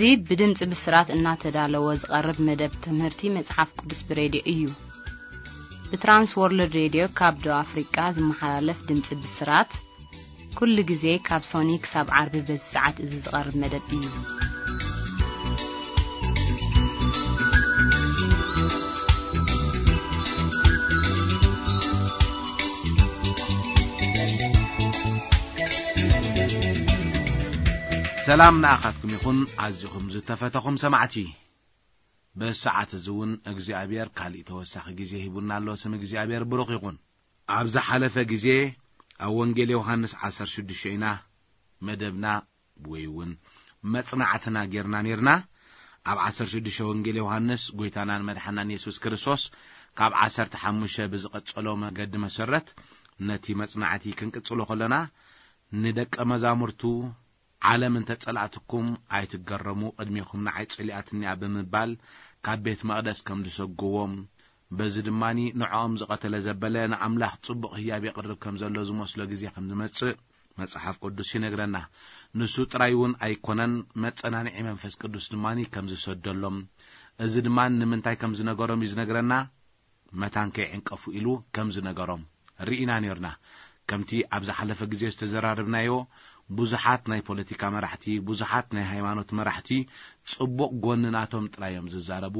እዚ ብድምፂ ብስራት እናተዳለወ ዝቐርብ መደብ ትምህርቲ መፅሓፍ ቅዱስ ብሬድዮ እዩ። ብትራንስ ወርልድ ሬድዮ ካብ ደቡብ ኣፍሪቃ ዝመሓላለፍ ድምፂ ብስራት ኩሉ ግዜ ካብ ሶኒ ክሳብ ዓርቢ በዚ ሰዓት እዚ ዝቐርብ መደብ እዩ። ሰላም ንኣኻትኩም ይኹን፣ ኣዚኹም ዝተፈተኹም ሰማዕቲ። በዚ ሰዓት እዚ እውን እግዚኣብሔር ካሊእ ተወሳኺ ግዜ ሂቡና ኣሎ። ስም እግዚኣብሔር ብሩኽ ይኹን። ኣብ ዝሓለፈ ግዜ ኣብ ወንጌል ዮሃንስ ዓሰርተ ሽዱሽተ ኢና መደብና ወይ እውን መጽናዕትና ጌርና ኔርና። ኣብ ዓሰርተ ሽዱሽተ ወንጌል ዮሃንስ ጎይታናን መድሓናን የሱስ ክርስቶስ ካብ ዓሰርተ ሓሙሽተ ብዝቐጸሎ መገዲ መሰረት ነቲ መጽናዕቲ ክንቅጽሎ ከለና፣ ንደቀ መዛሙርቱ ዓለም እንተ ጸላእትኩም ኣይትገረሙ፣ ቅድሜኹም ንዓይ ጸሊኣትኒ እያ ብምባል ካብ ቤት መቕደስ ከም ዝሰጎዎም፣ በዚ ድማ ንዕኦም ዝቐተለ ዘበለ ንኣምላኽ ጽቡቕ ህያብ የቕርብ ከም ዘሎ ዝመስሎ ግዜ ከም ዝመጽእ መጽሓፍ ቅዱስ ይነግረና። ንሱ ጥራይ እውን ኣይኮነን፣ መጸናንዒ መንፈስ ቅዱስ ድማ ከም ዝሰደሎም፣ እዚ ድማ ንምንታይ ከም ዝነገሮም እዩ ዝነግረና። መታን ከይዕንቀፉ ኢሉ ከም ዝነገሮም ርኢና ኔርና። ከምቲ ኣብ ዝሓለፈ ግዜ ዝተዘራረብናዮ፣ ብዙሓት ናይ ፖለቲካ መራሕቲ፣ ብዙሓት ናይ ሃይማኖት መራሕቲ ጽቡቕ ጎኒ ናቶም ጥራይ እዮም ዝዛረቡ፣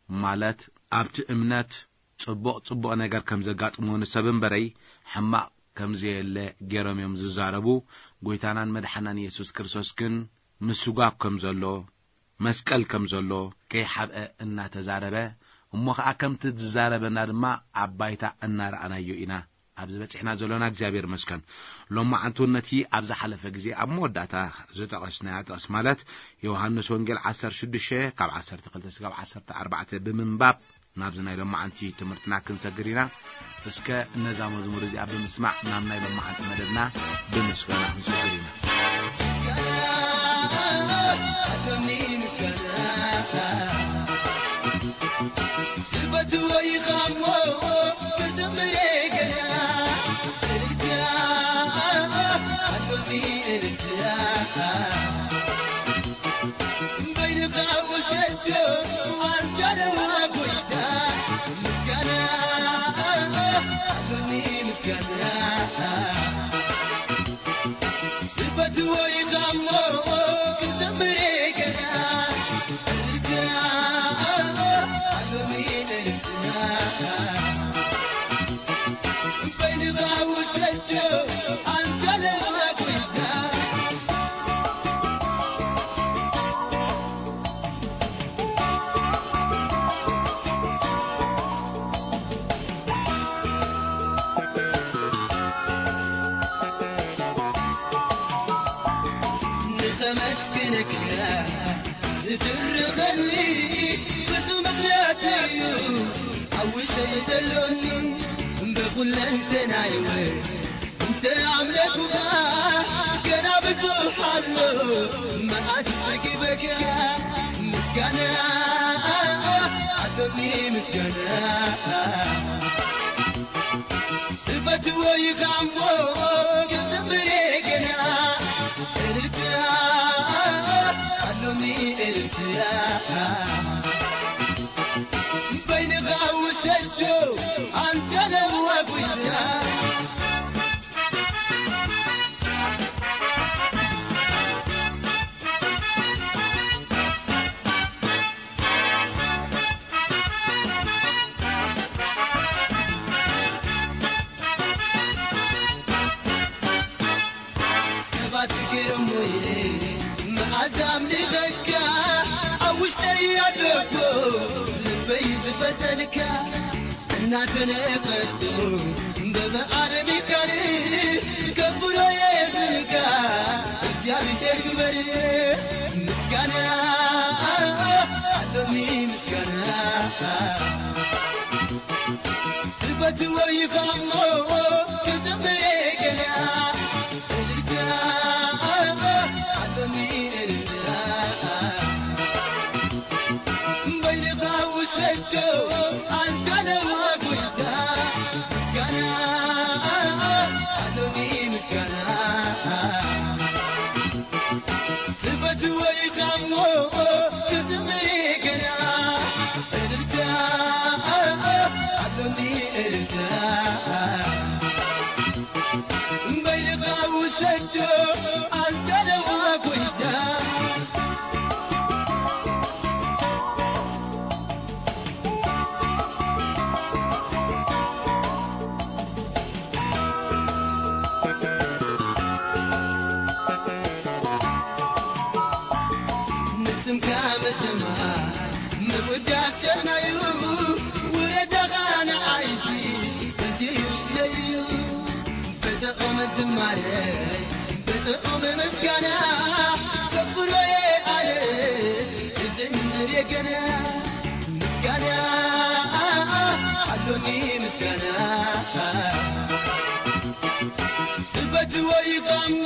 ማለት ኣብቲ እምነት ጽቡቕ ጽቡቕ ነገር ከም ዘጋጥሞ ንሰብ እምበረይ ሕማቕ ከም ዘየለ ገይሮም እዮም ዝዛረቡ። ጎይታናን መድሓናን የሱስ ክርስቶስ ግን ምስጓግ ከም ዘሎ፣ መስቀል ከም ዘሎ ከይሓብአ እናተዛረበ፣ እሞ ኸዓ ከምቲ ዝዛረበና ድማ ኣብ ባይታ እናረኣናዮ ኢና ኣብዚ በጺሕና ዘሎና። እግዚኣብሔር ይመስገን። ሎማዓንቲ እውን ነቲ ኣብ ዝሓለፈ ግዜ ኣብ መወዳእታ ዝጠቐስናያ ጥቕስ፣ ማለት ዮሃንስ ወንጌል ዓሰርተ ሽዱሽተ ካብ ዓሰርተ ክልተ እስካብ ዓሰርተ ኣርባዕተ ብምንባብ ናብዚ ናይ ሎማዓንቲ ትምህርትና ክንሰግር ኢና። እስከ ነዛ መዝሙር እዚኣ ብምስማዕ ናብ ናይ ሎማዓንቲ መደብና ብምስጋና ክንሰግር ኢና። ንኸመስግነካ ዝድርኸኒ ብዙ ምኽንያት እዩ ኣብ ውሽጠይ ዘሎኒ። ብኹለንተናይ እውን እንተ ኣምለኩኻ ገና ብዙሕ ኣሎ መኣት ጸጊበካ። ምስጋና ኣሎኒ ምስጋና ዝፈትዎ እዩ እሞ ክዝምር ገና። እልልታ ኣሎኒ እልልታ በይንኻ ውሰዶ ኣንተ ነዋ ጉይታ። ሰባት ገይሮሞ ኢለ መዓዛ ኣምሊኸካ ኣብ ውሽጠይ ኣለኮ ልበይ ዝፈተልካ እናተነቀፍኩ በበዓል ሚካል ከብሮ የዝንካ እግዚኣብሔር ክበር ምስጋና ኣሎኒ ምስጋና ትፈትዎ ይኻሞ ክዝምር ገና እልልታ ኣሎኒ እልልታ በይንኻ ውሰዶ ኣንተ ነዋ ጎይታ ምስጋና ኣሎኒ ምስጋና ትፈትዎ ይኻሞ ማረይ ብጥዑም ምስጋና ከፍሮየ ኣለ እዝምር የገና ምስጋና ኣሎኒ ምስጋና ስበት ወይ ኸሞ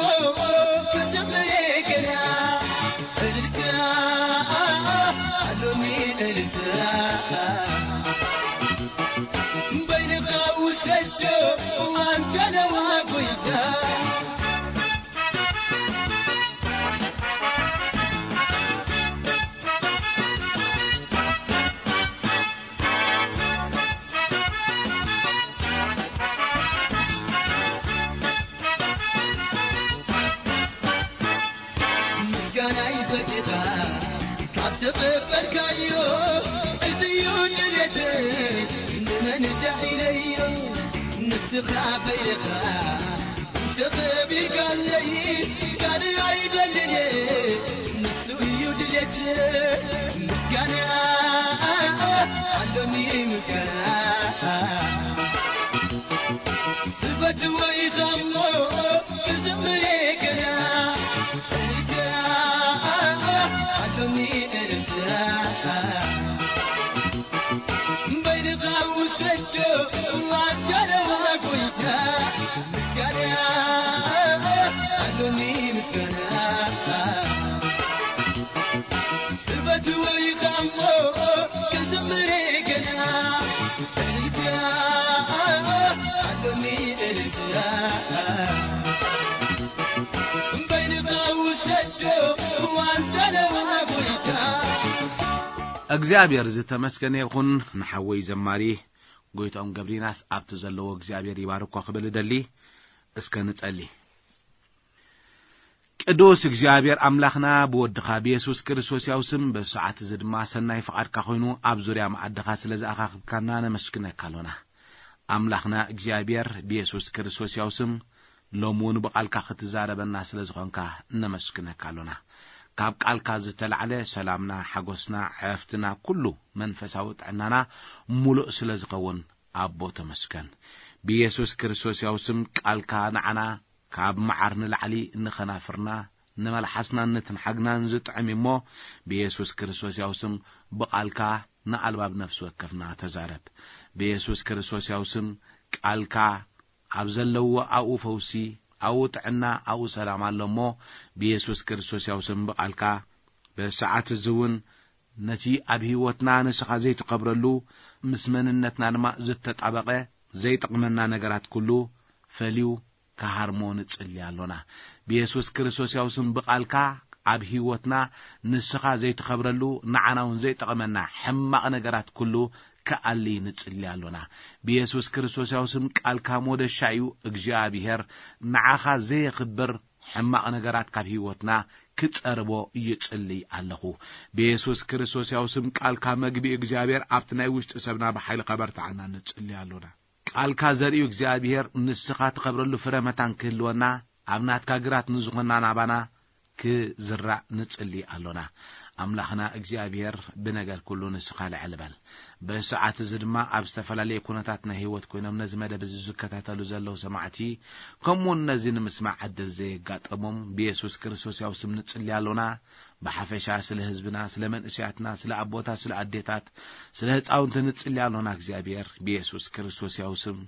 ክዝምር የገና እልልታ ኣሎኒ እልልታ በይንኻ ውሰዶ ኣንተ ነዋ ጎይታ ምስጋናይ ፈቲኻ ካብ ተቐበልካዮ፣ እዚ እዩ ድሌተይ፣ ንመን ዳዒለዮ? ንስኻ በይኻ ተኸቢርካለይ፣ ካልእ ኣይደልን እየ፣ ንሱ እዩ ድሌተይ። ምስጋና ኣሎኒ ምስጋና፣ ስበት ወይ ኸሞ ክዝምር ገና፣ እልልታ ኣሎኒ እልልታ። በይንኻ ውሰዶ ኣንተ ነዋ ጎይታ፣ ምስጋና ኣሎኒ ምስጋና። ስበት ወይ ኸሞ ክዝምር ገና፣ እልልታ ኣሎኒ እልልታ። በይንኻ ውሰዶ ኣንተ ነዋ ጎይታ። እግዚኣብሔር ዝተመስገነ ይኹን። ንሓወይ ዘማሪ ጎይታኦም ገብሪናስ ኣብቲ ዘለዎ እግዚኣብሔር ይባርኮ ክብል እደሊ። እስከ ንጸሊ። ቅዱስ እግዚኣብሔር ኣምላኽና ብወድኻ ብየሱስ ክርስቶስ ያው ስም በዚ ሰዓት እዚ ድማ ሰናይ ፍቓድካ ኮይኑ ኣብ ዙርያ መኣድኻ ስለ ዝኣኻኽብካና ነመስግነካ ኣሎና። ኣምላኽና እግዚኣብሔር ብየሱስ ክርስቶስ ያው ስም ሎም እውን ብቓልካ ክትዛረበና ስለ ዝኾንካ ነመስግነካ ኣሎና። ካብ ቃልካ ዝተላዕለ ሰላምና፣ ሓጎስና፣ ዕረፍትና፣ ኩሉ መንፈሳዊ ጥዕናና ሙሉእ ስለ ዝኸውን ኣቦ ተመስገን። ብየሱስ ክርስቶስ ያው ስም ቃልካ ንዓና ካብ መዓር ንላዕሊ ንኸናፍርና ንመልሓስናን ንትንሓግናን ዝጥዕም እዩ እሞ ብየሱስ ክርስቶስ ያው ስም ብቓልካ ንኣልባብ ነፍሲ ወከፍና ተዛረብ። ብየሱስ ክርስቶስ ያው ስም ቃልካ ኣብ ዘለዎ ኣብኡ ፈውሲ፣ ኣብኡ ጥዕና፣ ኣብኡ ሰላም ኣሎ እሞ ብየሱስ ክርስቶስ ያው ስም ብቓልካ በዚ ሰዓት እዚ እውን ነቲ ኣብ ህይወትና ንስኻ ዘይትኸብረሉ ምስ መንነትና ድማ ዝተጣበቐ ዘይጠቕመና ነገራት ኩሉ ፈልዩ ክሃርሞ ንጽሊ ኣሎና። ብየሱስ ክርስቶስ ያው ስም ብቓልካ ኣብ ህይወትና ንስኻ ዘይትኸብረሉ ንዓና እውን ዘይጠቕመና ሕማቕ ነገራት ኩሉ ክኣሊ ንጽሊ ኣሎና። ብየሱስ ክርስቶስ ያው ስም ቃልካ ሞደሻ እዩ። እግዚኣብሔር ንዓኻ ዘየኽብር ሕማቕ ነገራት ካብ ህይወትና ክጸርቦ ይጽሊ ኣለኹ። ብየሱስ ክርስቶስ ያው ስም ቃልካ መግቢ እግዚኣብሔር ኣብቲ ናይ ውሽጢ ሰብና ብሓይሊ ከበርትዓና ንጽሊ ኣሎና። ቃልካ ዘርእዩ እግዚኣብሔር ንስኻ ትኸብረሉ ፍረ መታን ክህልወና ኣብ ናትካ ግራት ንዝኾንና ናባና ክዝራእ ንጽሊ ኣሎና። ኣምላኽና እግዚኣብሔር ብነገር ኩሉ ንስኻ ልዕል በል። በዚ ሰዓት እዚ ድማ ኣብ ዝተፈላለየ ኩነታት ናይ ህይወት ኮይኖም ነዚ መደብ እዚ ዝከታተሉ ዘለዉ ሰማዕቲ ከምኡውን ነዚ ንምስማዕ ዕድል ዘየጋጠሞም ብየሱስ ክርስቶስ ያው ስም ንጽሊ ኣሎና። ብሓፈሻ ስለ ህዝብና፣ ስለ መንእሰያትና፣ ስለ ኣቦታት፣ ስለ ኣዴታት፣ ስለ ህጻውንቲ ንጽሊ ኣሎና። እግዚኣብሔር ብየሱስ ክርስቶስ ያው ስም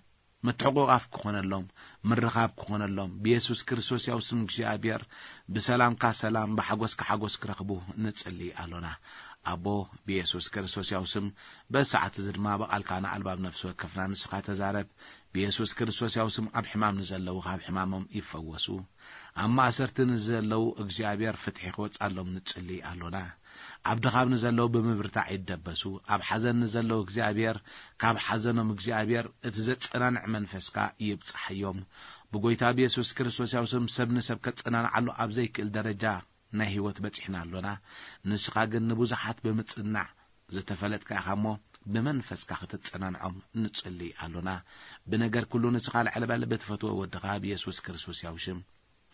ምትሕቑቓፍ ክኾነሎም፣ ምርኻብ ክኾነሎም ብየሱስ ክርስቶስ ያው ስም እግዚኣብሔር ብሰላምካ ሰላም ብሓጎስካ ሓጎስ ክረኽቡ ንጽሊ ኣሎና። ኣቦ ብየሱስ ክርስቶስ ያው ስም በዚ ሰዓት እዚ ድማ ብቓልካ ንኣልባብ ነፍሲ ወከፍና ንስኻ ተዛረብ። ብየሱስ ክርስቶስ ያው ስም ኣብ ሕማም ንዘለዉ ካብ ሕማሞም ይፈወሱ። ኣብ ማእሰርቲ ንዘለዉ እግዚኣብሔር ፍትሒ ክወጻሎም ንጽሊ ኣሎና። ኣብ ድኻም ንዘለዉ ብምብርታዕ ይደበሱ። ኣብ ሓዘን ንዘለዉ እግዚኣብሔር ካብ ሓዘኖም እግዚኣብሔር እቲ ዘጸናንዕ መንፈስካ ይብጽሓዮም። ብጎይታ ብየሱስ ክርስቶስ ያው ስም ሰብ ንሰብ ከጸናንዓሉ ኣብ ዘይክእል ደረጃ ናይ ህይወት በጺሕና ኣሎና። ንስኻ ግን ንብዙሓት ብምጽናዕ ዝተፈለጥካ ኢኻ እሞ ብመንፈስካ ክትጸናንዖም ንጽሊ ኣሎና። ብነገር ኩሉ ንስኻ ልዕል በል ብትፈትዎ ወድኻ ብየሱስ ክርስቶስ ያው ሽም።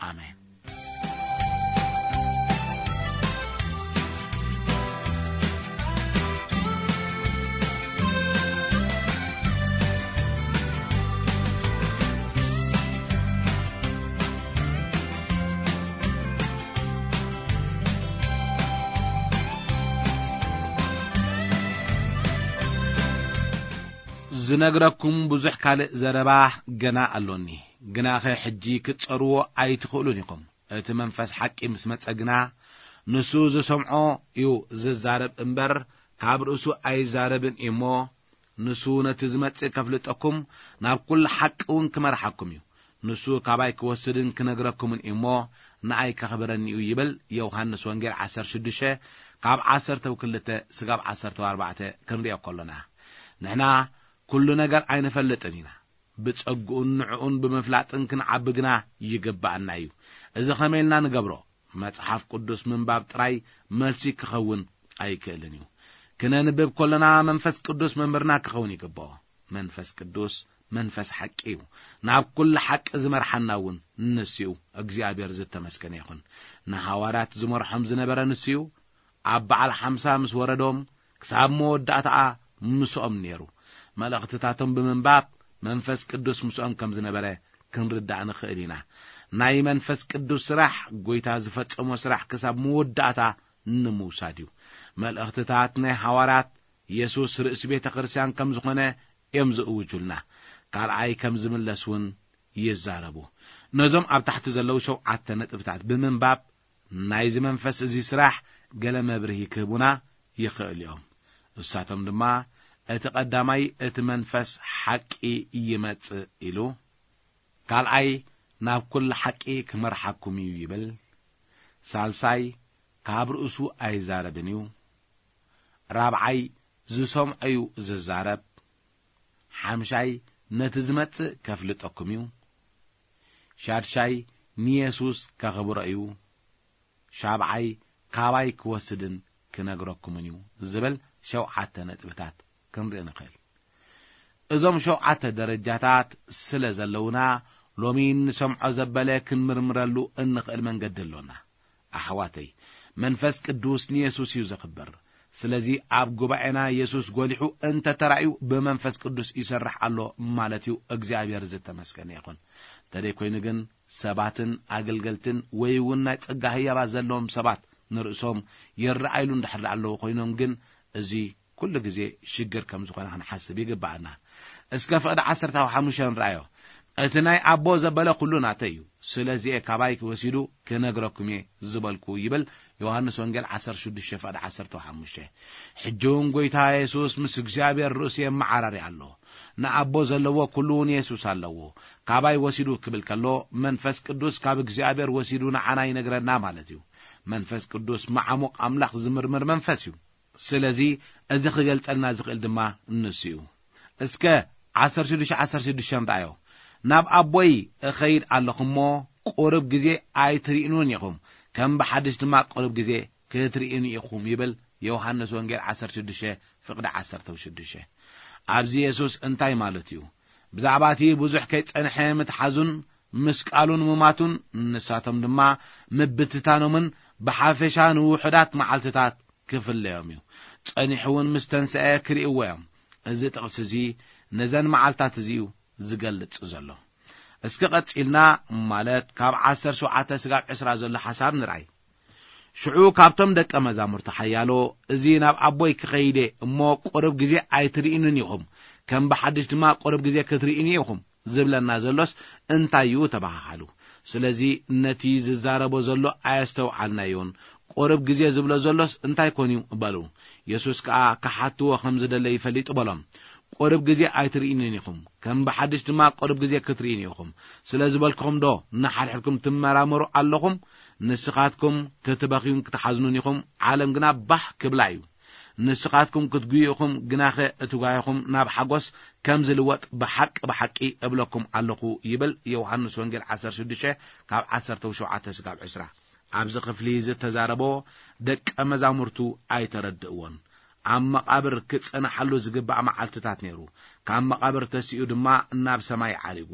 ኣሜን። ዝነግረኩም ብዙሕ ካልእ ዘረባ ገና ኣሎኒ፣ ግናኸ ሕጂ ክትጸርዎ ኣይትኽእሉን ኢኹም። እቲ መንፈስ ሓቂ ምስ መጸ ግና፣ ንሱ ዝሰምዖ እዩ ዝዛረብ እምበር፣ ካብ ርእሱ ኣይዛረብን እዩ እሞ፣ ንሱ ነቲ ዝመጽእ ከፍልጠኩም፣ ናብ ኩሉ ሓቂ እውን ክመርሓኩም እዩ። ንሱ ካባይ ክወስድን ክነግረኩምን እዩ እሞ፣ ንኣይ ከኽብረኒ እዩ ይብል። ዮሃንስ ወንጌል ዓሰርተ ሽዱሽተ ካብ ዓሰርተ ክልተ ስጋብ ዓሰርተ ኣርባዕተ ክንሪኦ ከሎና፣ ንሕና ኩሉ ነገር ኣይንፈልጥን ኢና። ብጸግኡን ንዕኡን ብምፍላጥን ክንዓቢ ግና ይግብኣና እዩ። እዚ ኸመይ ኢልና ንገብሮ? መጽሓፍ ቅዱስ ምንባብ ጥራይ መልሲ ክኸውን ኣይክእልን እዩ። ክነንብብ ከሎና መንፈስ ቅዱስ መምህርና ክኸውን ይግብኦ። መንፈስ ቅዱስ መንፈስ ሓቂ እዩ። ናብ ኩሉ ሓቂ ዝመርሓና እውን ንሱ እዩ። እግዚኣብሔር ዝተመስገነ ይኹን። ንሃዋርያት ዝመርሖም ዝነበረ ንሱ እዩ። ኣብ በዓል ሓምሳ ምስ ወረዶም ክሳብ መወዳእታኣ ምስኦም ነይሩ። መልእኽትታቶም ብምንባብ መንፈስ ቅዱስ ምስኦም ከም ዝነበረ ክንርዳእ ንኽእል ኢና። ናይ መንፈስ ቅዱስ ስራሕ፣ ጐይታ ዝፈጸሞ ስራሕ ክሳብ መወዳእታ ንምውሳድ እዩ። መልእኽትታት ናይ ሃዋርያት የሱስ ርእሲ ቤተ ክርስቲያን ከም ዝኾነ እዮም ዝእውጁልና። ካልኣይ ከም ዝምለስ እውን ይዛረቡ። ነዞም ኣብ ታሕቲ ዘለዉ ሸውዓተ ነጥብታት ብምንባብ ናይዚ መንፈስ እዚ ስራሕ ገለ መብርሂ ክህቡና ይኽእል እዮም። እሳቶም ድማ፣ እቲ ቀዳማይ እቲ መንፈስ ሓቂ ይመጽእ ኢሉ፣ ካልኣይ ናብ ኩሉ ሓቂ ክመርሓኩም እዩ ይብል፣ ሳልሳይ ካብ ርእሱ ኣይዛረብን እዩ፣ ራብዓይ ዝሰምዖ እዩ ዝዛረብ፣ ሓምሻይ ነቲ ዝመጽእ ከፍልጠኩም እዩ፣ ሻድሻይ ንየሱስ ከኽብሮ እዩ፣ ሻብዓይ ካባይ ክወስድን ክነግረኩምን እዩ ዝብል ሸውዓተ ነጥብታት ክንርኢ ንኽእል። እዞም ሸውዓተ ደረጃታት ስለ ዘለዉና፣ ሎሚ እንሰምዖ ዘበለ ክንምርምረሉ እንኽእል መንገዲ ኣሎና። ኣሕዋተይ፣ መንፈስ ቅዱስ ንየሱስ እዩ ዘኽብር። ስለዚ ኣብ ጉባኤና የሱስ ጐሊሑ እንተ ተራእዩ ብመንፈስ ቅዱስ ይሰርሕ ኣሎ ማለት እዩ። እግዚኣብሔር ዝተመስገነ ይኹን። እንተደይ ኮይኑ ግን ሰባትን ኣገልገልትን ወይ እውን ናይ ጸጋ ህያባት ዘለዎም ሰባት ንርእሶም ይረኣይሉ እንድሕር ኣለዉ ኮይኖም ግን እዚ ኩሉ ግዜ ሽግር ከም ዝኾነ ክንሓስብ ይግብኣና። እስከ ፍቕዲ ዓሰርተ ሓሙሽተ ንርኣዮ። እቲ ናይ ኣቦ ዘበለ ኩሉ ናተይ እዩ። ስለዚ እየ ካባይ ወሲዱ ክነግረኩም እየ ዝበልኩ ይብል ዮሃንስ ወንጌል ዓሰርተ ሽዱሽተ ፍቕዲ ዓሰርተ ሓሙሽተ። ሕጂ እውን ጐይታ የሱስ ምስ እግዚኣብሔር ርእሱ የመዓራሪ ኣሎ። ንኣቦ ዘለዎ ኩሉ እውን የሱስ ኣለዎ። ካባይ ወሲዱ ክብል ከሎ መንፈስ ቅዱስ ካብ እግዚኣብሔር ወሲዱ ንዓና ይነግረና ማለት እዩ። መንፈስ ቅዱስ መዓሙቕ ኣምላኽ ዝምርምር መንፈስ እዩ። ስለዚ እዚ ክገልጸልና ዝኽእል ድማ ንሱ እዩ። እስከ ዓሰርተ ሽዱሽተ ዓሰርተ ሽዱሽተ ንርኣዮ። ናብ ኣቦይ እኸይድ ኣለኹ እሞ ቁሩብ ግዜ ኣይትርእኑን ኢኹም፣ ከም ብሓድሽ ድማ ቁሩብ ግዜ ክትርእዩኒ ኢኹም ይብል። ዮሃንስ ወንጌል ዓሰርተ ሽዱሽተ ፍቕዲ ዓሰርተ ሽዱሽተ። ኣብዚ የሱስ እንታይ ማለት እዩ? ብዛዕባ እቲ ብዙሕ ከይጸንሐ ምትሓዙን ምስቃሉን ምማቱን ንሳቶም ድማ ምብትታኖምን ብሓፈሻ ንውሑዳት መዓልትታት ክፍለዮም እዩ። ጸኒሑ እውን ምስ ተንስአ ክርእይዎ እዮም። እዚ ጥቕሲ እዚ ነዘን መዓልታት እዚ እዩ ዝገልጽ ዘሎ። እስኪ ቀጺልና ማለት ካብ ዓሰርተ ሸውዓተ ስጋብ ዕስራ ዘሎ ሓሳብ ንርኣይ። ሽዑ ካብቶም ደቀ መዛሙርቲ ሓያሎ፣ እዚ ናብ ኣቦይ ክኸይደ እሞ ቁሩብ ግዜ ኣይትርእኑን ኢኹም፣ ከም ብሓድሽ ድማ ቁሩብ ግዜ ክትርእዩኒ ኢኹም ዝብለና ዘሎስ እንታይ እዩ ተባሃሃሉ። ስለዚ ነቲ ዝዛረቦ ዘሎ ኣየስተውዓልናዮን። ቁሩብ ግዜ ዝብሎ ዘሎስ እንታይ ኮን እዩ በሉ። የሱስ ከኣ ክሓትዎ ከም ዝደለ ይፈሊጡ በሎም። ቁሩብ ግዜ ኣይትርእዩንን ኢኹም፣ ከም ብሓድሽ ድማ ቁሩብ ግዜ ክትርእዩኒ ኢኹም። ስለ ዝበልኩኹም ዶ ንሓድሕድኩም ትመራመሩ ኣለኹም? ንስኻትኩም ክትበኽዩን ክትሓዝኑን ኢኹም፣ ዓለም ግና ባህ ክብላ እዩ። ንስኻትኩም ክትጉዩ ኢኹም፣ ግናኸ እቲ ጓይኹም ናብ ሓጎስ ከም ዝልወጥ ብሓቂ ብሓቂ እብለኩም ኣለኹ ይብል ዮሃንስ ወንጌል ዓሰርተ ሽዱሽተ ካብ ዓሰርተ ሸውዓተ ስጋብ ዕስራ። ኣብዚ ክፍሊ ዝተዛረቦ ደቀ መዛሙርቱ ኣይተረድእዎን። ኣብ መቓብር ክጸንሓሉ ዝግባእ መዓልትታት ነይሩ። ካብ መቓብር ተሲኡ ድማ ናብ ሰማይ ዓሪጉ።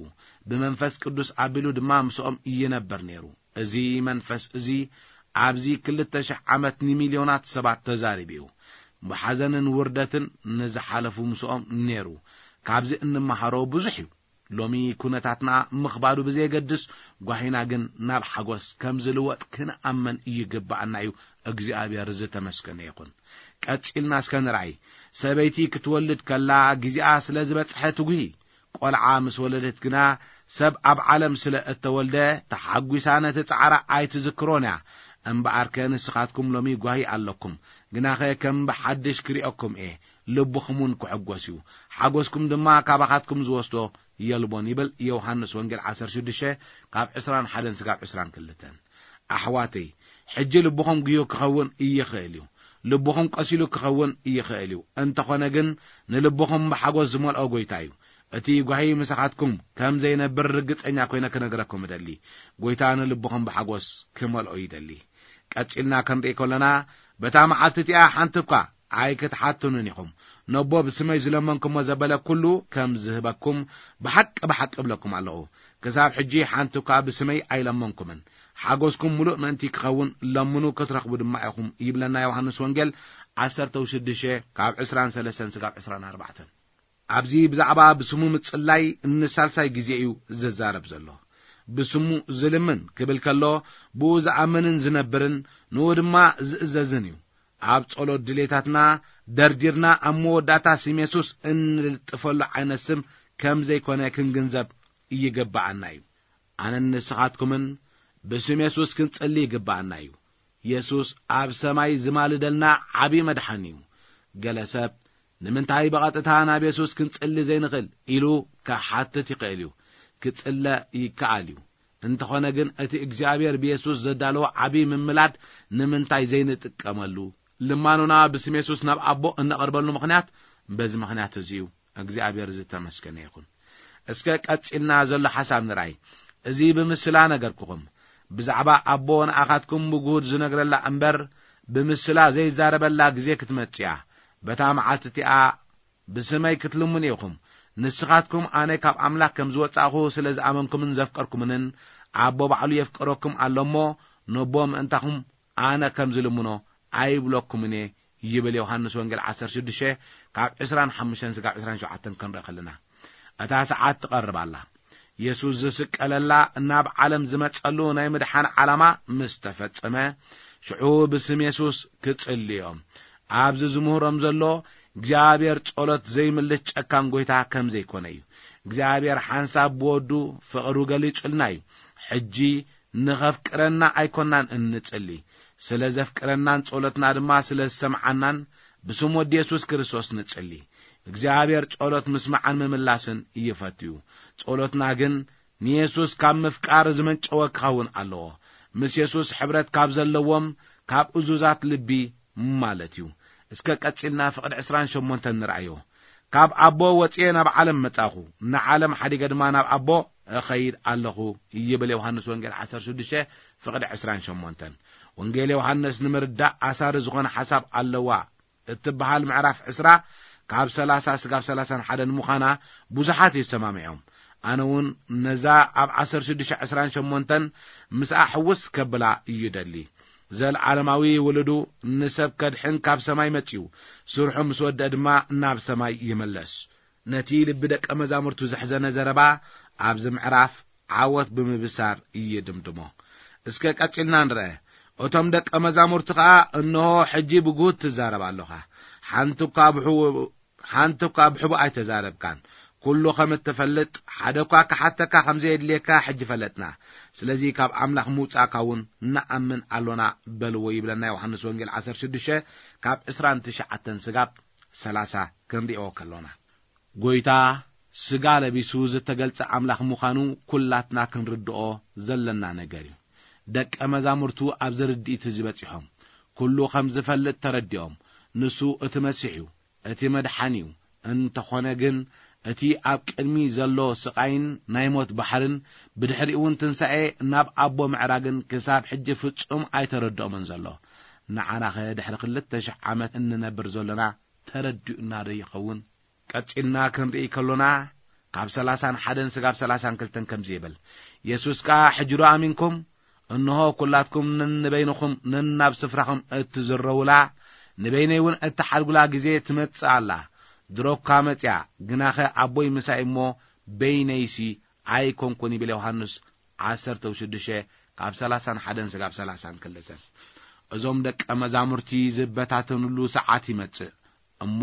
ብመንፈስ ቅዱስ ኣቢሉ ድማ ምስኦም ይነብር ነይሩ። እዚ መንፈስ እዚ ኣብዚ ክልተ ሽሕ ዓመት ንሚልዮናት ሰባት ተዛሪቡ እዩ። ብሓዘንን ውርደትን ንዝሓለፉ ምስኦም ነይሩ። ካብዚ እንመሃሮ ብዙሕ እዩ። ሎሚ ኩነታትና ምኽባዱ ብዘየገድስ፣ ጓሂና ግን ናብ ሓጎስ ከም ዝልወጥ ክንኣመን ይግብኣና እዩ። እግዚኣብሔር ዝተመስገነ ይኹን። ቀጺልና እስከ ንርኣይ። ሰበይቲ ክትወልድ ከላ ግዜኣ ስለ ዝበጽሐ ትጉሂ። ቆልዓ ምስ ወለደት ግና፣ ሰብ ኣብ ዓለም ስለ እተወልደ፣ ተሓጒሳ ነቲ ጻዕራ ኣይትዝክሮን እያ። እምበኣርከ ንስኻትኩም ሎሚ ጓሂ ኣለኩም፣ ግናኸ ከም ብሓድሽ ክርእየኩም እየ፣ ልብኹም እውን ክሕጎስ እዩ፣ ሓጎስኩም ድማ ካባኻትኩም ዝወስዶ የልቦን፣ ይብል ዮሃንስ ወንጌል ዓሰርተ ሽዱሽተ ካብ ዕስራን ሓደን ስጋብ ዕስራን ክልተን። ኣሕዋተይ፣ ሕጂ ልብኹም ጉዮ ክኸውን ይኽእል እዩ። ልብኹም ቀሲሉ ክኸውን ይኽእል እዩ። እንተኾነ ግን፣ ንልብኹም ብሓጎስ ዝመልኦ ጐይታ እዩ። እቲ ጓሂ ምሳኻትኩም ከም ዘይነብር ርግጸኛ ኮይነ ክነግረኩም እደሊ። ጐይታ ንልብኹም ብሓጎስ ክመልኦ ይደሊ። ቀጺልና ክንርኢ ከሎና፣ በታ መዓልቲ እቲኣ ሓንቲ እኳ ኣይክትሓቱንን ኢኹም። ነቦ ብስመይ ዝለመንኩሞ ዘበለ ኩሉ ከም ዝህበኩም ብሓቂ ብሓቂ እብለኩም ኣለኹ። ክሳብ ሕጂ ሓንቲ እኳ ብስመይ ኣይለመንኩምን። ሓጎስኩም ምሉእ ምእንቲ ክኸውን ለምኑ ክትረኽቡ ድማ ኢኹም፣ ይብለና ዮሃንስ ወንጌል ዓሰርተ ሽዱሽተ ካብ ዕስራን ሰለስተን ስጋብ ዕስራን ኣርባዕተን። ኣብዚ ብዛዕባ ብስሙ ምጽላይ ንሳልሳይ ግዜ እዩ ዝዛረብ ዘሎ። ብስሙ ዝልምን ክብል ከሎ፣ ብኡ ዝኣምንን ዝነብርን ንኡ ድማ ዝእዘዝን እዩ። ኣብ ጸሎት ድሌታትና ደርዲርና ኣብ መወዳእታ ስም የሱስ እንልጥፈሉ ዓይነት ስም ከም ዘይኮነ ክንግንዘብ ይግብኣና እዩ። ኣነን ንስኻትኩምን ብስም የሱስ ክንጽሊ ይግብኣና እዩ። የሱስ ኣብ ሰማይ ዝማልደልና ዓቢ መድሓኒ እዩ። ገለ ሰብ፣ "ንምንታይ ብቐጥታ ናብ የሱስ ክንጽሊ ዘይንኽእል?" ኢሉ ክሓትት ይኽእል እዩ። ክጽለ ይከኣል እዩ። እንተኾነ ግን፣ እቲ እግዚኣብሔር ብየሱስ ዘዳለዎ ዓቢ ምምላድ ንምንታይ ዘይንጥቀመሉ? ልማኖና ብስም የሱስ ናብ ኣቦ እነቐርበሉ ምኽንያት በዚ ምኽንያት እዚ እዩ። እግዚኣብሔር ዝተመስገነ ይኹን። እስከ ቀጺልና ዘሎ ሓሳብ ንርኣይ። እዚ ብምስላ ነገርኩኹም። ብዛዕባ ኣቦ ንኣኻትኩም ብግሁድ ዝነግረላ እምበር፣ ብምስላ ዘይዛረበላ ግዜ ክትመጽእ እያ። በታ መዓልቲ እቲኣ ብስመይ ክትልምኑ ኢኹም። ንስኻትኩም ኣነ ካብ ኣምላኽ ከም ዝወጻእኹ ስለ ዝኣመንኩምን ዘፍቀርኩምንን፣ ኣቦ ባዕሉ የፍቅረኩም ኣሎ እሞ፣ ነቦ ምእንታኹም ኣነ ከም ዝልምኖ ኣይብለኩምን እየ፣ ይብል ዮሃንስ ወንጌል ዓሰርተ ሽዱሽተ ካብ ዕስራን ሓሙሽተን ስጋብ ዕስራን ሸውዓተን ክንርኢ ከለና። እታ ሰዓት ትቐርብ ኣላ። የሱስ ዝስቀለላ፣ ናብ ዓለም ዝመጸሉ ናይ ምድሓን ዓላማ ምስ ተፈጸመ፣ ሽዑ ብስም የሱስ ክጽልዮም። ኣብዚ ዝምህሮም ዘሎ፣ እግዚኣብሔር ጸሎት ዘይምልስ ጨካን ጐይታ ከም ዘይኮነ እዩ። እግዚኣብሔር ሓንሳብ ብወዱ ፍቕሩ ገሊጹልና እዩ። ሕጂ ንኸፍቅረና ኣይኮናን እንጽሊ። ስለ ዘፍቅረናን ጸሎትና ድማ ስለ ዝሰምዓናን ብስም ወዲ የሱስ ክርስቶስ ንጽሊ። እግዚኣብሔር ጸሎት ምስማዕን ምምላስን ይፈቱ እዩ። ጸሎትና ግን ንየሱስ ካብ ምፍቃር ዝመንጨወ ክኸውን ኣለዎ። ምስ የሱስ ሕብረት ካብ ዘለዎም፣ ካብ እዙዛት ልቢ ማለት እዩ። እስከ ቀጺልና ፍቕዲ ዕስራን ሸሞንተን ንርኣዮ። "ካብ ኣቦ ወጽኤ ናብ ዓለም መጻኹ፣ ንዓለም ሓዲገ ድማ ናብ ኣቦ እኸይድ ኣለኹ" ይብል ዮሃንስ ወንጌል ዓሰርተ ሽዱሽተ ፍቕዲ ዕስራን ሸሞንተን። ወንጌል ዮሃንስ ንምርዳእ ኣሳሪ ዝኾነ ሓሳብ ኣለዋ እትበሃል ምዕራፍ ዕስራ ካብ ሰላሳ ስጋብ ሰላሳን ሓደን ምዃና ብዙሓት ይሰማምዖም። ኣነ እውን ነዛ ኣብ ዓሰርተ ሽዱሽተ ዕስራን ሸሞንተን ምስኣ ሕውስ ከብላ ይደሊ። ዘልዓለማዊ ውሉዱ ንሰብ ከድሕን ካብ ሰማይ መጺኡ፣ ስርሑ ምስ ወደአ ድማ ናብ ሰማይ ይምለስ። ነቲ ልቢ ደቀ መዛሙርቱ ዘሕዘነ ዘረባ ኣብዚ ምዕራፍ ዓወት ብምብሳር ይድምድሞ። እስከ ቀጺልና ንርአ። እቶም ደቀ መዛሙርቲ ኸኣ፣ "እንሆ ሕጂ ብግሁድ ትዛረብ ኣለኻ። ሓንቲ እኳ ብሕቡ-፣ ሓንቲ እኳ ብሕቡእ ኣይተዛረብካን። ኩሉ ከም እትፈልጥ፣ ሓደ እኳ ክሓተካ ከም ዘየድልየካ ሕጂ ፈለጥና። ስለዚ ካብ ኣምላኽ ምውጻእካ እውን ንኣምን ኣሎና" በልዎ፣ ይብለና ዮሃንስ ወንጌል ዓሰርተ ሽዱሽተ ካብ ዕስራን ትሽዓተን ስጋብ ሰላሳ ክንሪኦ ከሎና። ጐይታ ስጋ ለቢሱ ዝተገልጸ ኣምላኽ ምዃኑ ኩላትና ክንርድኦ ዘለና ነገር እዩ። ደቀ መዛሙርቱ ኣብዚ ርድኢት እዚ በጺሖም። ኩሉ ከም ዝፈልጥ ተረዲኦም። ንሱ እቲ መሲሕ እዩ፣ እቲ መድሓኒ እዩ። እንተኾነ ግን፣ እቲ ኣብ ቅድሚ ዘሎ ስቓይን ናይ ሞት ባሕርን፣ ብድሕሪኡ እውን ትንሳኤ ናብ ኣቦ ምዕራግን ክሳብ ሕጂ ፍጹም ኣይተረድኦምን ዘሎ። ንዓናኸ ድሕሪ ክልተ ሽሕ ዓመት እንነብር ዘሎና ተረዲኡና ዶ ይኸውን? ቀጺልና ክንርኢ ከሎና፣ ካብ ሰላሳን ሓደን ስጋብ ሰላሳን ክልተን ከምዚ ይብል፣ የሱስ ከኣ፣ "ሕጂ ዶ ኣሚንኩም? እንሆ፣ ኩላትኩም ነንበይንኹም ነናብ ስፍራኹም እትዝረዉላ፣ ንበይነይ እውን እትሓድጉላ ግዜ ትመጽእ ኣላ። ድሮ እኳ መጺኣ፣ ግናኸ ኣቦይ ምሳይ እሞ፣ በይነይሲ ኣይኮንኩን" ይብል ዮሃንስ ዓሰርተ ሽዱሽተ ካብ ሰላሳን ሓደን ስጋብ ሰላሳን ክልተን። እዞም ደቀ መዛሙርቲ ዝበታተኑሉ ሰዓት ይመጽእ። እሞ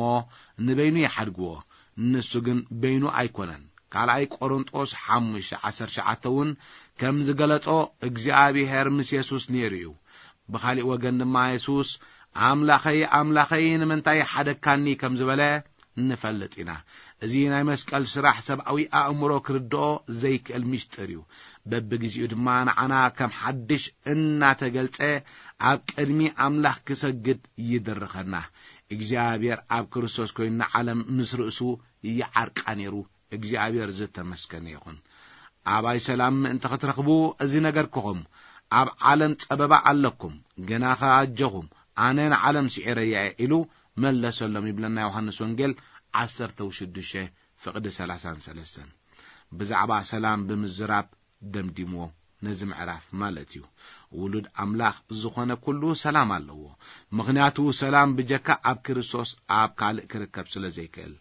ንበይኑ ይሓድግዎ፣ ንሱ ግን በይኑ ኣይኮነን። ካልኣይ ቆሮንጦስ ሓሙሽተ ዓሰርተ ትሽዓተ እውን ከም ዝገለጾ እግዚኣብሔር ምስ የሱስ ነይሩ እዩ። ብኻሊእ ወገን ድማ የሱስ ኣምላኸይ ኣምላኸይ ንምንታይ ሓደግካኒ ከም ዝበለ ንፈልጥ ኢና። እዚ ናይ መስቀል ስራሕ ሰብኣዊ ኣእምሮ ክርድኦ ዘይክእል ምስጢር እዩ። በብግዜኡ ድማ ንዓና ከም ሓድሽ እናተገልጸ ኣብ ቅድሚ ኣምላኽ ክሰግድ ይድርኸና። እግዚኣብሔር ኣብ ክርስቶስ ኮይኑ ንዓለም ምስ ርእሱ ይዓርቃ ነይሩ። እግዚኣብሔር ዝተመስገነ ይኹን። ኣባይ ሰላም ምእንቲ ክትረኽቡ እዚ ነገርክኹም። ኣብ ዓለም ጸበባ ኣለኩም፣ ግናኸ ኣጆኹም፣ ኣነ ንዓለም ስዒረያ እየ ኢሉ መለሰሎም ይብለና ዮሃንስ ወንጌል ዓሰርተ ሽዱሽተ ፍቕዲ ሰላሳን ሰለስተን። ብዛዕባ ሰላም ብምዝራብ ደምዲምዎ ነዚ ምዕራፍ ማለት እዩ። ውሉድ ኣምላኽ ዝኾነ ኩሉ ሰላም ኣለዎ። ምኽንያቱ ሰላም ብጀካ ኣብ ክርስቶስ ኣብ ካልእ ክርከብ ስለ ዘይክእል።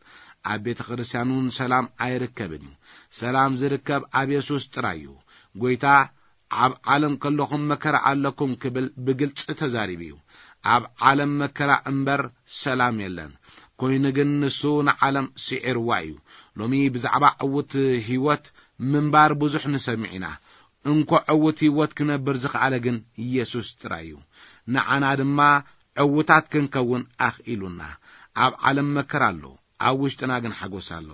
ኣብ ቤተ ክርስቲያን እውን ሰላም ኣይርከብን እዩ። ሰላም ዝርከብ ኣብ የሱስ ጥራይ እዩ። ጎይታ ኣብ ዓለም ከለኹም መከራ ኣለኩም ክብል ብግልጺ ተዛሪቡ እዩ። ኣብ ዓለም መከራ እምበር ሰላም የለን። ኮይኑ ግን ንሱ ንዓለም ስዒርዋ እዩ። ሎሚ ብዛዕባ ዕውት ህይወት ምንባር ብዙሕ ንሰምዕ ኢና። እንኮ ዕውት ህይወት ክነብር ዝኸኣለ ግን ኢየሱስ ጥራይ እዩ። ንዓና ድማ ዕውታት ክንከውን ኣኽኢሉና። ኣብ ዓለም መከራ ኣሎ፣ ኣብ ውሽጥና ግን ሓጎስ ኣሎ።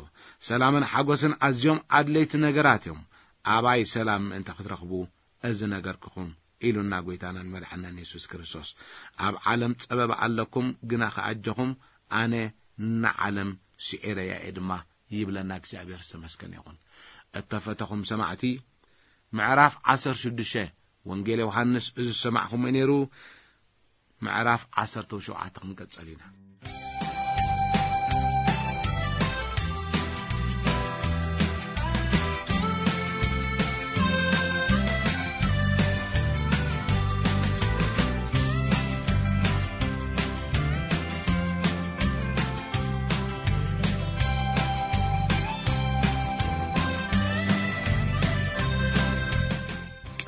ሰላምን ሓጎስን ኣዝዮም ኣድለይቲ ነገራት እዮም። ኣባይ ሰላም ምእንቲ ክትረኽቡ እዚ ነገርክኹም ኢሉና ጎይታናን መድሓናን የሱስ ክርስቶስ። ኣብ ዓለም ጸበባ ኣለኩም፣ ግና ከኣጀኹም ኣነ ንዓለም ስዒረያ እየ ድማ ይብለና እግዚኣብሔር ዝተመስገነ ይኹን። እተፈተኹም ሰማዕቲ፣ ምዕራፍ ዓሰርተ ሽዱሽተ ወንጌል ዮሃንስ እዚ ዝሰማዕኹምዎ ነይሩ። ምዕራፍ ዓሰርተ ሸውዓተ ክንቀጸል ኢና።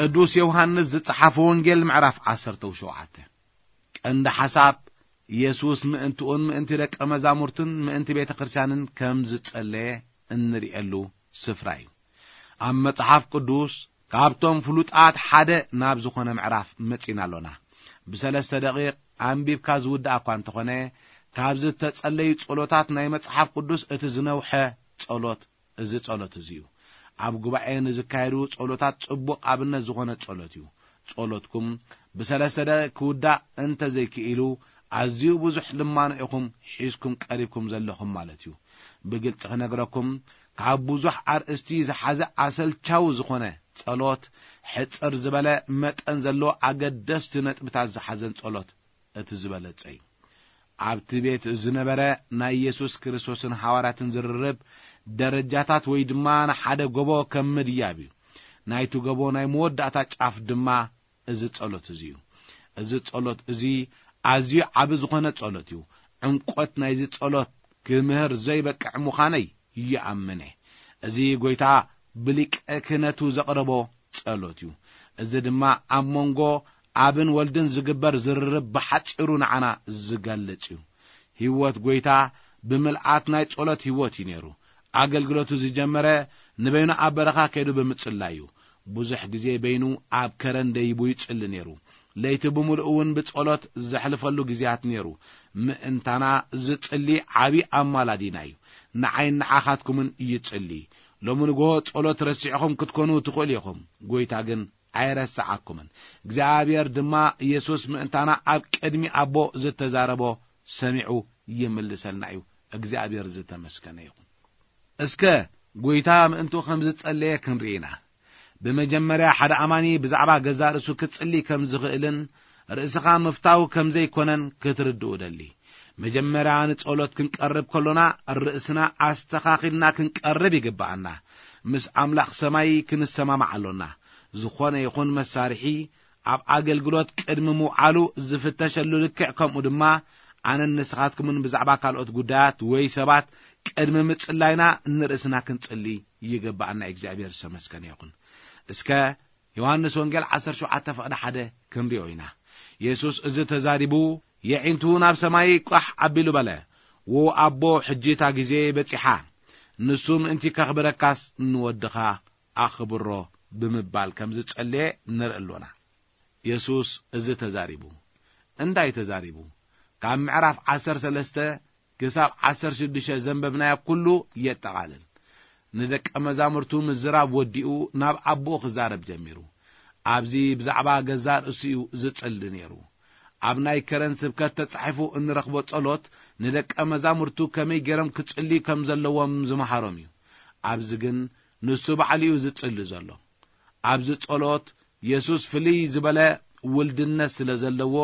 ቅዱስ ዮሃንስ ዝጸሓፈ ወንጌል ምዕራፍ ዓሰርተ ሸውዓተ። ቀንዲ ሓሳብ፣ የሱስ ምእንትኡን ምእንቲ ደቀ መዛሙርቱን ምእንቲ ቤተ ክርስቲያንን ከም ዝጸለየ እንርእየሉ ስፍራ እዩ። ኣብ መጽሓፍ ቅዱስ ካብቶም ፍሉጣት ሓደ ናብ ዝኾነ ምዕራፍ መጺና ኣሎና። ብሰለስተ ደቂቕ ኣንቢብካ ዝውዳእ እኳ እንተኾነ፣ ካብዚ እተጸለዩ ጸሎታት ናይ መጽሓፍ ቅዱስ እቲ ዝነውሐ ጸሎት እዚ ጸሎት እዚ እዩ። ኣብ ጉባኤ ንዝካየዱ ጸሎታት ጽቡቕ ኣብነት ዝኾነ ጸሎት እዩ። ጸሎትኩም ብሰለስተ ደቂቕ ክውዳእ እንተ ዘይክኢሉ፣ ኣዝዩ ብዙሕ ልማኖ ኢኹም ሒዝኩም ቀሪብኩም ዘለኹም ማለት እዩ። ብግልጺ ክነግረኩም፣ ካብ ብዙሕ ኣርእስቲ ዝሓዘ ኣሰልቻዊ ዝኾነ ጸሎት፣ ሕጽር ዝበለ መጠን ዘለዎ ኣገደስቲ ነጥብታት ዝሓዘን ጸሎት እቲ ዝበለጸ እዩ። ኣብቲ ቤት ዝነበረ ናይ የሱስ ክርስቶስን ሃዋርያትን ዝርርብ ደረጃታት ወይ ድማ ንሓደ ጎቦ ከም ምድያብ እዩ። ናይቲ ጎቦ ናይ መወዳእታ ጫፍ ድማ እዚ ጸሎት እዚ እዩ። እዚ ጸሎት እዚ ኣዝዩ ዓቢ ዝኾነ ጸሎት እዩ። ዕምቆት ናይዚ ጸሎት ክምህር ዘይበቅዕ ምዃነይ ይኣምን እየ። እዚ ጎይታ ብሊቀ ክህነቱ ዘቕረቦ ጸሎት እዩ። እዚ ድማ ኣብ መንጎ ኣብን ወልድን ዝግበር ዝርርብ ብሓጺሩ ንዓና ዝገልጽ እዩ። ህይወት ጎይታ ብምልኣት ናይ ጸሎት ህይወት እዩ ነይሩ። ኣገልግሎቱ ዝጀመረ ንበይኑ ኣብ በረኻ ከይዱ ብምጽላይ እዩ። ብዙሕ ግዜ በይኑ ኣብ ከረን ደይቡ ይጽሊ ነይሩ። ለይቲ ብምሉእ እውን ብጸሎት ዘሕልፈሉ ግዜያት ነይሩ። ምእንታና ዝጽሊ ዓቢ ኣማላዲና እዩ። ንዓይን ንዓኻትኩምን ይጽሊ። ሎሚ ንግሆ ጸሎት ረሲዕኹም ክትኮኑ ትኽእሉ ኢኹም። ጎይታ ግን ኣይረስዓኩምን። እግዚኣብሔር ድማ የሱስ ምእንታና ኣብ ቅድሚ ኣቦ ዝተዛረቦ ሰሚዑ ይምልሰልና እዩ። እግዚኣብሔር ዝተመስገነ ይኹን። እስከ ጎይታ ምእንቱ ከም ዝጸለየ ክንርኢ ኢና። ብመጀመርያ ሓደ ኣማኒ ብዛዕባ ገዛእ ርእሱ ክጽሊ ከም ዝኽእልን ርእስኻ ምፍታው ከም ዘይኮነን ክትርድኡ እደሊ። መጀመርያ ንጸሎት ክንቀርብ ከሎና ርእስና ኣስተኻኺልና ክንቀርብ ይግብኣና። ምስ ኣምላኽ ሰማይ ክንሰማማዕ ኣሎና። ዝኾነ ይኹን መሳርሒ ኣብ ኣገልግሎት ቅድሚ ምውዓሉ ዝፍተሸሉ ልክዕ ከምኡ ድማ ኣነን ንስኻትኩምን ብዛዕባ ካልኦት ጉዳያት ወይ ሰባት ቅድሚ ምጽላይና ንርእስና ክንጽሊ ይግብኣና። እግዚኣብሔር ዝተመስገነ ይኹን። እስከ ዮሃንስ ወንጌል ዓሰርተ ሸውዓተ ፍቕዲ ሓደ ክንሪኦ ኢና። የሱስ እዚ ተዛሪቡ የዒንቱ ናብ ሰማይ ቋሕ ኣቢሉ በለ። "ወ ኣቦ፣ ሕጂ እታ ግዜ በጺሓ፣ ንሱ ምእንቲ ከኽብረካስ ንወድኻ ኣኽብሮ" ብምባል ከም ዝጸለየ ንርኢ ኣሎና። የሱስ እዚ ተዛሪቡ። እንታይ ተዛሪቡ? ካብ ምዕራፍ ዓሰርተ ሰለስተ ክሳብ ዓሰርተ ሽዱሽተ ዘንበብናዮ ኩሉ የጠቓልል። ንደቀ መዛሙርቱ ምዝራብ ወዲኡ ናብ ኣቦኡ ክዛረብ ጀሚሩ። ኣብዚ ብዛዕባ ገዛእ ርእሱ እዩ ዝጽሊ ነይሩ። ኣብ ናይ ከረን ስብከት ተጻሒፉ እንረኽቦ ጸሎት ንደቀ መዛሙርቱ ከመይ ገይሮም ክጽልዩ ከም ዘለዎም ዝመሃሮም እዩ። ኣብዚ ግን ንሱ ባዕሉ እዩ ዝጽሊ ዘሎ። ኣብዚ ጸሎት የሱስ ፍልይ ዝበለ ውልድነት ስለ ዘለዎ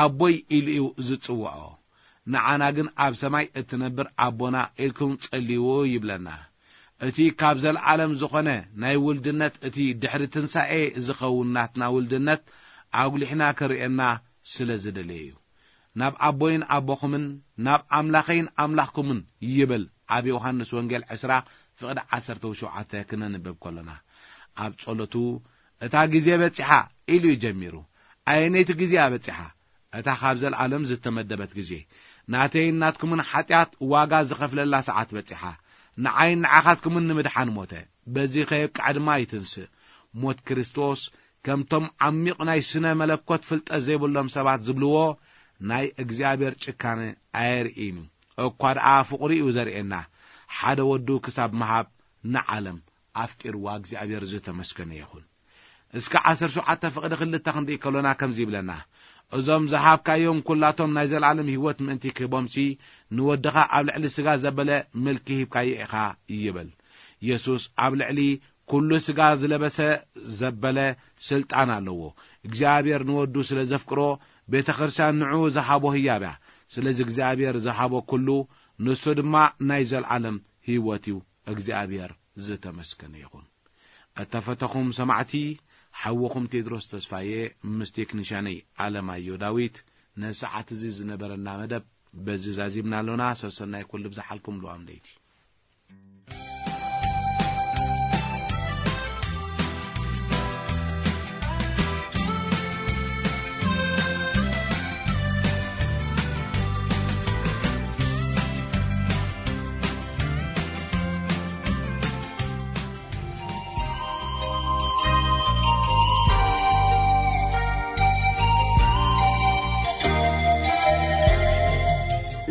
ኣቦይ ኢሉ እዩ ዝጽውዖ። ንዓና ግን ኣብ ሰማይ እትነብር ኣቦና ኢልኩም ጸልይዎ ይብለና። እቲ ካብ ዘለዓለም ዝኾነ ናይ ውልድነት፣ እቲ ድሕሪ ትንሳኤ ዝኸውን ናትና ውልድነት ኣጉሊሕና ክርእየና ስለ ዝደለየ እዩ። "ናብ ኣቦይን ኣቦኹምን፣ ናብ ኣምላኸይን ኣምላኽኩምን" ይብል ኣብ ዮሃንስ ወንጌል ዕስራ ፍቕዲ ዓሰርተ ሸውዓተ ክነንብብ ከሎና። ኣብ ጸሎቱ "እታ ግዜ በጺሓ" ኢሉ እዩ ጀሚሩ። ኣየነይቲ ግዜ እያ በጺሓ? እታ ካብ ዘለዓለም ዝተመደበት ግዜ። ናተይን ናትኩምን ሓጢኣት ዋጋ ዝኸፍለላ ሰዓት በጺሓ። ንዓይን ንዓኻትኩምን ንምድሓን ሞተ። በዚ ከየብቅዐ ድማ ይትንስእ። ሞት ክርስቶስ፣ ከምቶም ዓሚቕ ናይ ስነ መለኮት ፍልጠት ዘይብሎም ሰባት ዝብልዎ፣ ናይ እግዚኣብሔር ጭካነ ኣየርእይን እዩ። እኳ ደኣ ፍቕሩ እዩ ዘርእየና። ሓደ ወዱ ክሳብ ምሃብ ንዓለም ኣፍቂርዋ እግዚኣብሔር ዝተመስገነ ይኹን። እስከ ዓሰርተ ሸውዓተ ፍቕዲ ክልተ ክንርኢ ከሎና ከምዚ ይብለና፣ "እዞም ዝሃብካዮም ኩላቶም ናይ ዘለዓለም ህይወት ምእንቲ ክህቦምሲ፣ ንወድኻ ኣብ ልዕሊ ስጋ ዘበለ ምልኪ ሂብካዮ ኢኻ" ይብል። የሱስ ኣብ ልዕሊ ኩሉ ስጋ ዝለበሰ ዘበለ ስልጣን ኣለዎ። እግዚኣብሔር ንወዱ ስለ ዘፍቅሮ፣ ቤተ ክርስቲያን ንዕኡ ዝሃቦ ህያብ እያ። ስለዚ እግዚኣብሔር ዝሃቦ ኩሉ፣ ንሱ ድማ ናይ ዘለዓለም ህይወት እዩ። እግዚኣብሔር ዝተመስገነ ይኹን። እተፈተኹም ሰማዕቲ፣ ሓውኹም ቴድሮስ ተስፋዬ ምስ ቴክኒሻነይ ኣለማዮ ዳዊት፣ ንሰዓት እዚ ዝነበረና መደብ በዚ ዛዚምና ኣሎና። ሰሰናይ ኩሉ ብዝሓልኩም ልዋም ለይቲ።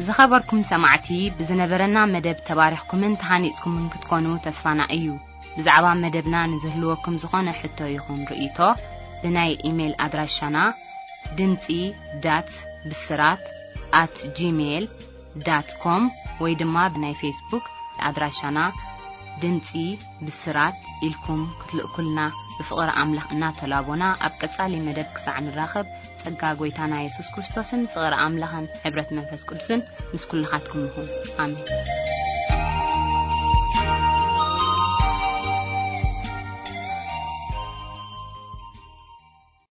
ዝኸበርኩም ሰማዕቲ፣ ብዝነበረና መደብ ተባሪኽኩምን ተሃኒጽኩምን ክትኮኑ ተስፋና እዩ። ብዛዕባ መደብና ንዝህልወኩም ዝኾነ ሕቶ ይኹን ርእይቶ፣ ብናይ ኢሜይል ኣድራሻና ድምጺ ዳት ብስራት ኣት ጂሜይል ዳት ኮም ወይ ድማ ብናይ ፌስቡክ ኣድራሻና ድምጺ ብስራት ኢልኩም ክትልእኩልና ብፍቕሪ ኣምላኽ እናተላቦና፣ ኣብ ቀጻሊ መደብ ክሳዕ ንራኸብ፣ ጸጋ ጐይታና የሱስ ክርስቶስን ፍቕሪ ኣምላኽን ሕብረት መንፈስ ቅዱስን ምስ ኩልኻትኩም ይኹን። ኣሜን።